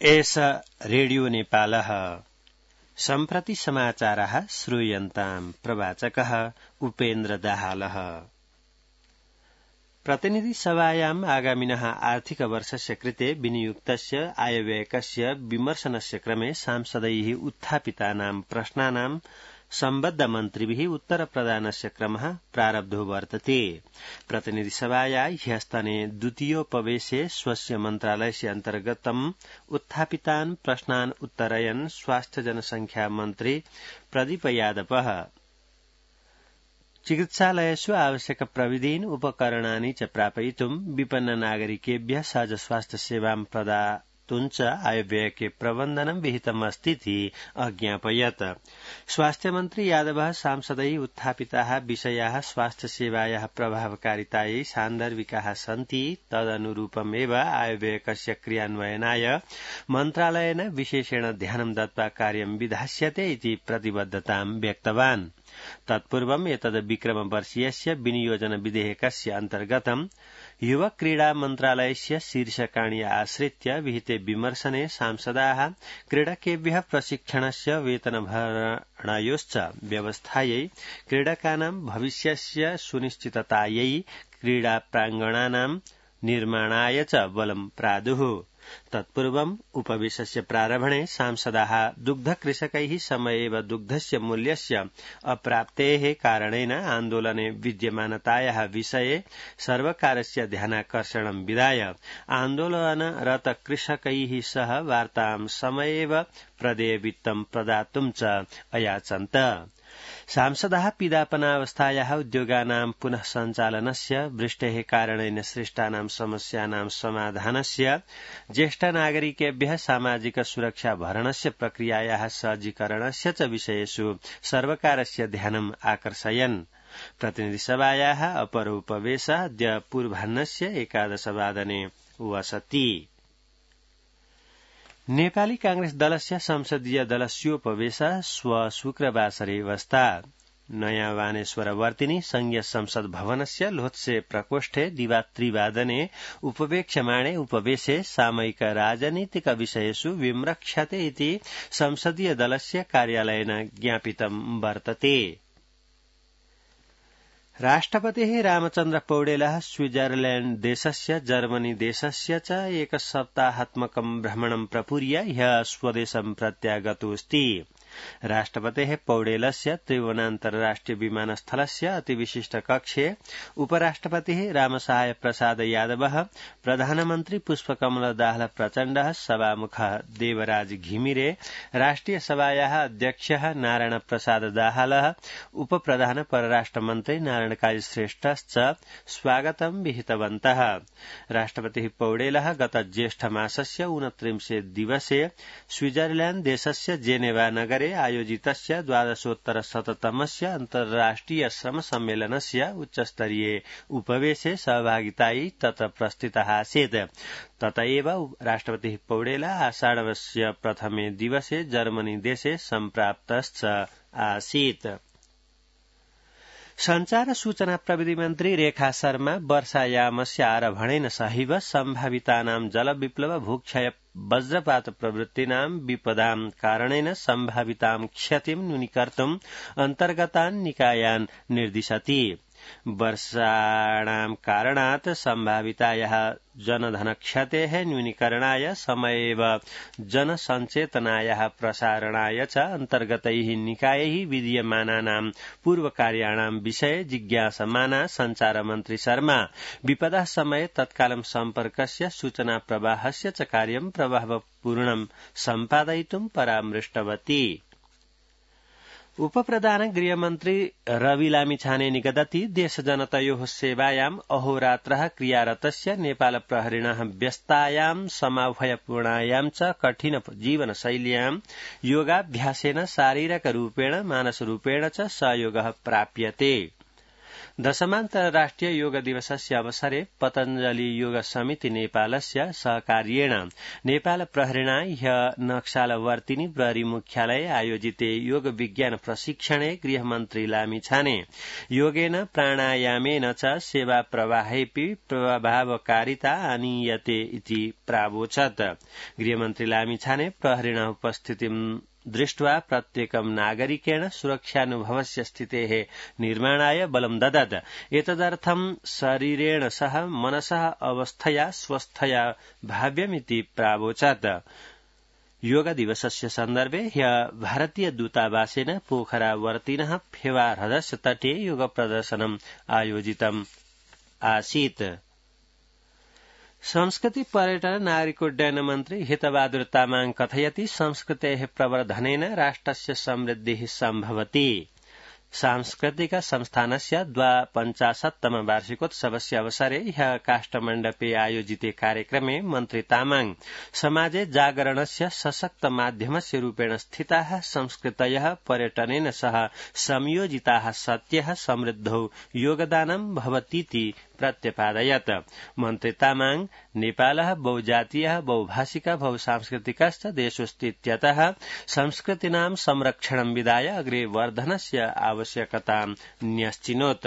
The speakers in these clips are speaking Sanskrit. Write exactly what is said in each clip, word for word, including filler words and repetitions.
एष रेडियो नेपालः सम्प्रति समाचारः श्रूयन्ताम् प्रवाचकः उपेन्द्र दाहालः। प्रतिनिधि सभायाम् आगामिनः आर्थिक वर्षस्य कृते विनियुक्तस्य आयव्ययकस्य विमर्शनस्य क्रमे सांसदैः उत्थापितानां प्रश्नानां सम्बद्ध मन्त्रिभिः उत्तरप्रदानस्य क्रमः प्रारब्धो वर्तते। प्रतिनिधि सभाया ह्यस्तने द्वितीयोपवेशे स्वस्य मन्त्रालयस्य अन्तर्गतम् उत्थापितान् प्रश्नान् उत्तरयन् स्वास्थ्य जनसंख्या मन्त्री प्रदीप यादवः चिकित्सालयेषु आवश्यक प्रविधीन् उपकरणानि च प्रापयितुं विपन्न नागरिकेभ्यः सहज स्वास्थ्य सेवां प्रदातुञ्च आयव्ययके प्रबन्धनं विहितमस्तीति अज्ञापयत्। स्वास्थ्यमन्त्री यादवः सांसदैः उत्थापिताः विषयाः स्वास्थ्यसेवायाः प्रभावकारितायै सान्दर्भिकाः सन्ति, तदनुरूपमेव आयव्ययकस्य क्रियान्वयनाय मन्त्रालयेन विशेषेण ध्यानं दत्त्वा कार्यं विधास्यते इति प्रतिबद्धतां व्यक्तवान्। तत्पूर्वम् एतद् विक्रमवर्षीयस्य विनियोजन विधेयकस्य अन्तर्गतं युवा क्रीडा मन्त्रालयस्य शीर्षकाणि आश्रित्य विहिते विमर्शने सांसदाः क्रीडकेभ्यः प्रशिक्षणस्य वेतनभरणयोश्च व्यवस्थायै, क्रीडकानां भविष्यस्य सुनिश्चिततायै, क्रीडा प्राङ्गणानां निर्माणाय च बलं प्रादुः। तत्पूर्वम् उपवेशस्य प्रारम्भणे सांसदाः दुग्धकृषकैः समयेव दुग्धस्य मूल्यस्य अप्राप्तेः कारणेन आन्दोलने विद्यमानतायाः विषये सर्वकारस्य ध्यानाकर्षणं विधाय आन्दोलनरत कृषकैः सह वार्तां समयेव प्रदेयवित्तं प्रदातुं च अयाचन्त। सांसदाः पीडापनावस्थायाः उद्योगानां पुनः सञ्चालनस्य, वृष्टेः कारणेन सृष्टानां समस्यानां समाधानस्य, ज्येष्ठ नागरिकेभ्यः सामाजिक सुरक्षा भरणस्य प्रक्रियायाः सहजीकरणस्य च विषयेषु सर्वकारस्य ध्यानम् आकर्षयन्। प्रतिनिधिसभायाः अपरोपवेशः अद्य पूर्वाह्नस्य एकादशवादने वसति। नेपाली कांग्रेस दलस्य संसदीय दलस्योपवेशः श्व शुक्रवासरे वस्तात्। नयाँ वानेश्वरवर्तिनि संघीय संसद भवनस्य लोत्से प्रकोष्ठे दिवा त्रिवादने उपवेक्ष्यमाणे उपवेशे सामयिक राजनीतिक विषयेषु विम्रक्ष्यते इति संसदीय दलस्य कार्यालयेन ज्ञापितं वर्तते। राष्ट्रपतिः रामचन्द्र पौडेलः स्विट्जरलैण्ड देशस्य जर्मनी देशस्य च एकसप्ताहात्मकं भ्रमणं प्रपूर्य ह्यः स्वदेशं प्रत्यागतोऽस्ति। राष्ट्रपतेः पौडेलस्य त्रिभुवनान्तर्राष्ट्रिय विमानस्थलस्य अतिविशिष्ट कक्षे उपराष्ट्रपतिः रामसहाय प्रसाद यादवः, प्रधानमन्त्री पुष्पकमल दाहाल प्रचण्डः, सभामुखः देवराज घिमिरे, राष्ट्रिय सभायाः अध्यक्षः नारायण प्रसाद दाहालः, उपप्रधान परराष्ट्रमन्त्री नारायण काजी श्रेष्ठश्च स्वागतं विहितवन्तः। राष्ट्रपतिः पौडेलः गत ज्येष्ठमासस्य ऊनत्रिंशे दिवसे स्विट्जरलैण्ड देशस्य जेनेवा नगरे आयोजितस्य द्वादशोत्तर शततमस्य अन्तर्राष्ट्रिय श्रम सम्मेलनस्य उच्चस्तरीये उपवेशे सहभागितायै तत्र प्रस्थितः आसीत्। तत एव राष्ट्रपतिः पौडेलः आषाढस्य प्रथमे दिवसे जर्मनी देशे सम्प्राप्तश्च आसीत्। संचार सूचना प्रविधि मन्त्री रेखा शर्मा वर्षायामस्य आरभणेन सहैव सम्भावितानां जलविप्लव, भूक्षय, वज्रपात प्रवृत्तीनां विपदां कारणेन सम्भावितां क्षतिं न्यूनीकर्तुं अन्तर्गतान् निकायान् निर्दिशति। वर्षाणां कारणात् सम्भावितायाः जनधनक्षतेः न्यूनीकरणाय समयेव जनसञ्चेतनायाः प्रसारणाय च अन्तर्गतैः निकायैः विधीयमानानां पूर्वकार्याणां विषये जिज्ञासमाना संचारमन्त्री शर्मा विपदः समये तत्कालं सम्पर्कस्य सूचना प्रवाहस्य च कार्यं प्रभावपूर्णं सम्पादयितुं परामृष्टवती। उपप्रधान गृहमन्त्री रवि लामिछाने निगदति देशजनतयोः सेवायाम् अहोरात्रः क्रियारतस्य नेपाल प्रहरिणः व्यस्तायां समाभयपूर्णायां च कठिन जीवनशैल्यां योगाभ्यासेन शारीरकरूपेण मानसरूपेण च सहयोगः प्राप्यते। दशमान्तर्राष्ट्रिय योग दिवसस्य अवसरे पतञ्जलि योग समिति नेपालस्य सहकार्येण नेपाल प्रहरिणा ह्य नक्सालवर्तिनी प्रहरी मुख्यालये आयोजिते योग विज्ञान प्रशिक्षणे गृहमन्त्री लामिछाने योगेन प्राणायामेन च सेवा प्रवाहेऽपि प्रभावकारिता आनीयते इति प्रावोचत्। गृहमन्त्री लामिछाने प्रहरिणः उपस्थितिं दृष्ट्वा प्रत्येकं नागरिकेण सुरक्षानुभवस्य स्थितेः निर्माणाय बलं ददत्। एतदर्थं शरीरेण सह मनसः अवस्थया स्वस्थया भाव्यमिति प्रावोचत्। योग दिवसस्य सन्दर्भे ह्यः भारतीय दूतावासेन पोखरावर्तिनः फेवा ह्रदस्य तटे योग प्रदर्शनम् आयोजितम् आसीत्। संस्कृति पर्यटन नागरिकोड्डयन मन्त्री हितबहादुर तामाङ कथयति संस्कृतेः प्रवर्धनेन राष्ट्रस्य समृद्धिः सम्भवति। सांस्कृतिक संस्थानस्य द्वापञ्चाशत्तम वार्षिकोत्सवस्य अवसरे ह्यः काष्ठमण्डपे आयोजिते कार्यक्रमे मन्त्री तामाङ समाजे जागरणस्य सशक्त माध्यमस्य रूपेण स्थिताः संस्कृतयः पर्यटनेन सह संयोजिताः सत्यः समृद्धौ योगदानं भवतीति प्रत्यपादयत्। मन्त्री तामाङ नेपालः बहुजातीयः बहुभाषिकः बहुसांस्कृतिकश्च देशोऽस्तीत्यतः संस्कृतीनां संरक्षणं विधाय अग्रे वर्धनस्य आवश्यकतां न्यश्चिनोत्।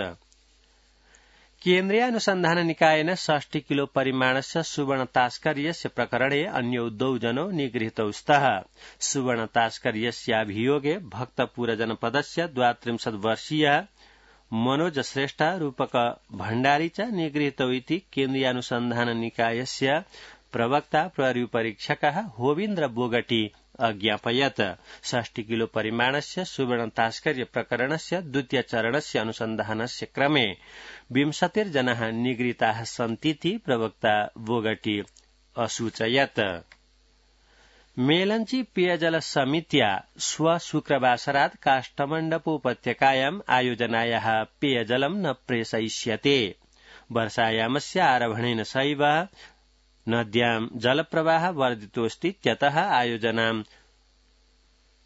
केन्द्रीय अनुसन्धान निकायेन षष्टि किलो परिमाणस्य सुवर्ण तास्कर्यस्य प्रकरणे अन्यौ द्वौ जनौ निगृहीतौ स्तः। सुवर्ण तास्कर्यस्याभियोगे भक्तपुर जनपदस्य द्वात्रिंशत् वर्षीय मनोज श्रेष्ठ रूपक भण्डारी च निगृहीतौ इति केन्द्रीय अनुसन्धान निकायस्य प्रवक्ता प्रहरी परीक्षकः होविन्द्र बोगटी अज्ञापयत्। षष्टि किलो परिमाणस्य सुवर्ण तास्कर्य प्रकरणस्य द्वितीय चरणस्य अनुसन्धानस्य क्रमे विंशतिर्जनाः निगृहीताः सन्तीति प्रवक्ता बोगटी असूचयत्। मेलंची पेयजल समित्या श्व शुक्रवासरात् काष्ठमण्डपोपत्यकायाम् आयोजनायाः पेयजलं न प्रेषयिष्यते। वर्षायामस्य आरभणेन सैव नद्यां जलप्रवाह वर्धितोऽस्तीत्यतः आयोजनां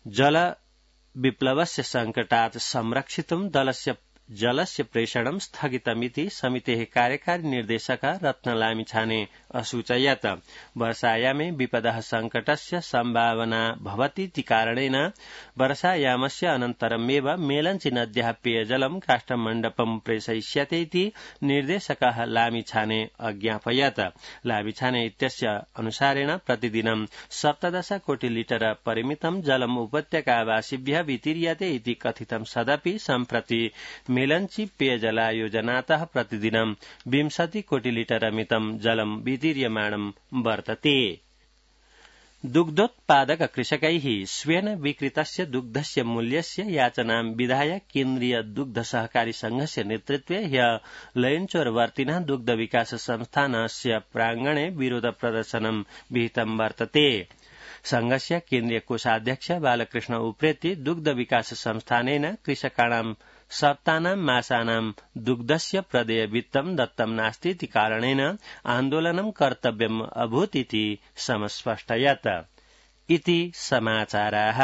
जलविप्लवस्य संकटात् संरक्षितुं दलस्य जलस्य प्रेषणं स्थगितमिति समितेः कार्यकारी निर्देशकः रत्नलामिछाने असूचयत्। वर्षायामे विपदः संकटस्य सम्भावना भवतीति कारणेन वर्षायामस्य अनन्तरमेव मेलंची नद्याः पेयजलं काष्ठमण्डपं प्रेषयिष्यते इति निर्देशकः लामिछाने अज्ञापयत्। लामिछाने इत्यस्य अनुसारेण प्रतिदिनं सप्तदश कोटि लिटर परिमितं जलम् उपत्यकावासिभ्यः वितीर्यते इति कथितं सदपि सम्प्रति मेलंची पेयजलायोजनातः प्रतिदिनं विंशति कोटि लिटरमितं जलं वितीर्यमाणं वर्तते। दुग्धोत्पादक कृषकैः स्वेन विक्रीतस्य दुग्धस्य मूल्यस्य याचनां विधाय केन्द्रीय दुग्ध सहकारी संघस्य नेतृत्वे ह्यः लयन्चोरवर्तिनः दुग्ध विकास संस्थानस्य प्राङ्गणे विरोध प्रदर्शनं विहितं वर्तते। संघस्य केन्द्रीय कोषाध्यक्ष बालकृष्ण उप्रेती दुग्ध विकास संस्थानेन कृषकाणां सप्तानां मासानां दुग्धस्य प्रदेय वित्तं दत्तं नास्तीति कारणेन आन्दोलनं कर्तव्यम् अभूत् इति समस्पष्टयत्। इति समाचाराः।